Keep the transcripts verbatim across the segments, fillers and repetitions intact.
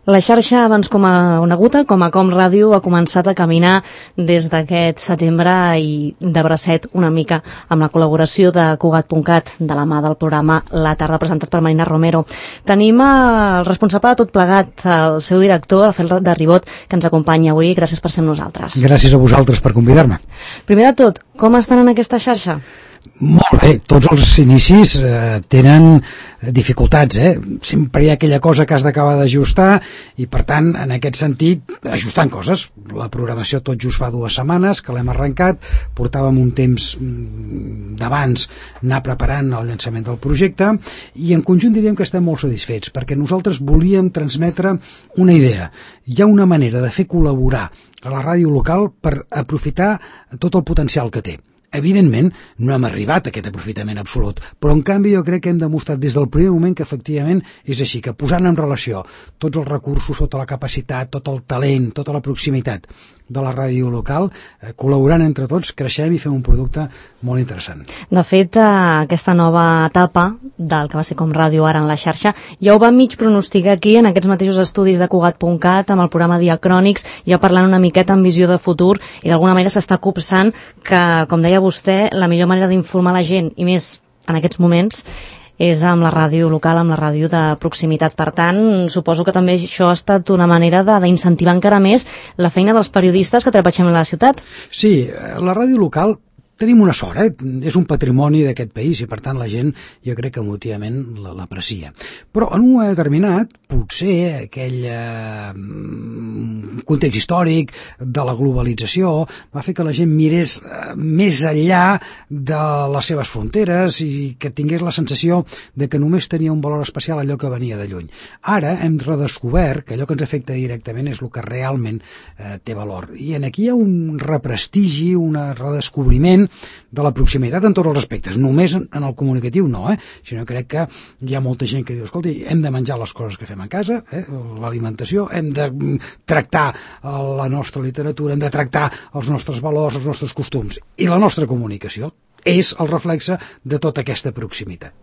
La xarxa, abans com a coneguda, com a Com Ràdio, ha començat a caminar des d'aquest setembre i de bracet una mica amb la col·laboració de Cugat punt cat, de la mà del programa La Tarda, presentat per Marina Romero. Tenim el responsable de tot plegat, el seu director, Rafael de Ribot, que ens acompanya avui. Gràcies per ser amb nosaltres. Gràcies a vosaltres per convidar-me. Primer de tot, com estan en aquesta xarxa? Molt bé, tots els inicis eh, tenen dificultats, eh? Sempre hi ha aquella cosa que has d'acabar d'ajustar i, per tant, en aquest sentit, ajustant coses. La programació tot just fa dues setmanes que l'hem arrencat, portàvem un temps d'abans anar preparant el llançament del projecte i en conjunt diríem que estem molt satisfets perquè nosaltres volíem transmetre una idea. Hi ha una manera de fer col·laborar a la ràdio local per aprofitar tot el potencial que té. Evidentment, no hem arribat a aquest aprofitament absolut, però en canvi jo crec que hem demostrat des del primer moment que efectivament és així, que posant en relació tots els recursos, tota la capacitat, tot el talent, tota la proximitat de la ràdio local, eh, col·laborant entre tots, creixem i fem un producte molt interessant. De fet, eh, aquesta nova etapa del que va ser Com Ràdio ara en la xarxa, ja ho va mig pronosticar aquí en aquests mateixos estudis de Cugat punt cat amb el programa Diacrònics, ja parlant una miqueta amb visió de futur i d'alguna manera s'està copsant que, com deia vostè, la millor manera d'informar la gent, i més en aquests moments, és amb la ràdio local, amb la ràdio de proximitat. Per tant, suposo que també això ha estat una manera d'incentivar encara més la feina dels periodistes que treballem a la ciutat. Sí, la ràdio local tenim una sort, eh? És un patrimoni d'aquest país i per tant la gent jo crec que emotivament l'aprecia. Però en un moment determinat, potser aquell eh, context històric de la globalització va fer que la gent mirés eh, més enllà de les seves fronteres i que tingués la sensació de que només tenia un valor especial allò que venia de lluny. Ara hem redescobert que allò que ens afecta directament és el que realment eh, té valor. I en aquí hi ha un represtigi, un redescobriment de la proximitat en tots els aspectes, només en el comunicatiu no, eh? Sinó crec que hi ha molta gent que diu, escolti, hem de menjar les coses que fem a casa, eh? L'alimentació, hem de tractar la nostra literatura, hem de tractar els nostres valors, els nostres costums, i la nostra comunicació és el reflexe de tota aquesta proximitat.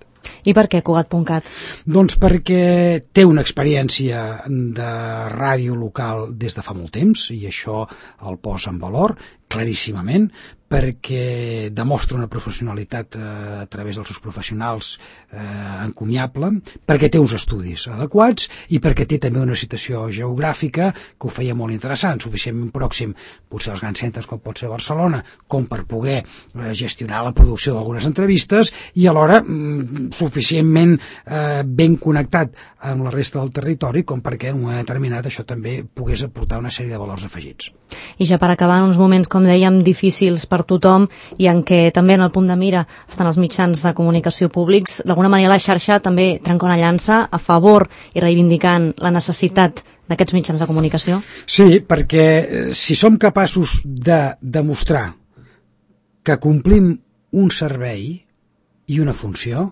I per què Cugat punt cat? Doncs perquè té una experiència de ràdio local des de fa molt temps i això el posa en valor claríssimament, perquè demostra una professionalitat eh, a través dels seus professionals eh, encomiable, perquè té uns estudis adequats i perquè té també una situació geogràfica que ho feia molt interessant, suficientment pròxim potser als grans centres com pot ser Barcelona, com per poder eh, gestionar la producció d'algunes entrevistes i alhora mm, suficientment eh, ben connectat amb la resta del territori com perquè en un moment determinat això també pogués aportar una sèrie de valors afegits. I ja per acabar, en uns moments, com dèiem, difícils per tothom i en què també en el punt de mira estan els mitjans de comunicació públics, d'alguna manera la xarxa també trenca una llança a favor i reivindicant la necessitat d'aquests mitjans de comunicació? Sí, perquè si som capaços de demostrar que complim un servei i una funció,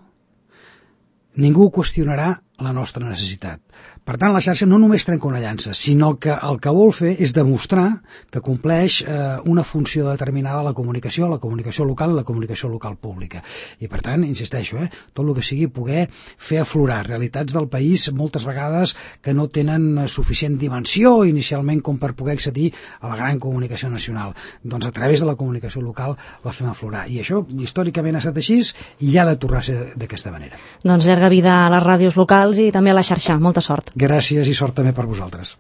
ningú qüestionarà la nostra necessitat. Per tant, la xarxa no només trenca una llança, sinó que el que vol fer és demostrar que compleix eh, una funció determinada a la comunicació, la comunicació local i la comunicació local pública. I per tant, insisteixo, eh, tot el que sigui poder fer aflorar realitats del país moltes vegades que no tenen suficient dimensió inicialment com per poder accedir a la gran comunicació nacional. Doncs a través de la comunicació local la fem aflorar. I això històricament ha estat així i ha de tornar a ser d'aquesta manera. Doncs llarga vida a les ràdios locals i també a la xarxa. Molta sort. Gràcies i sort també per vosaltres.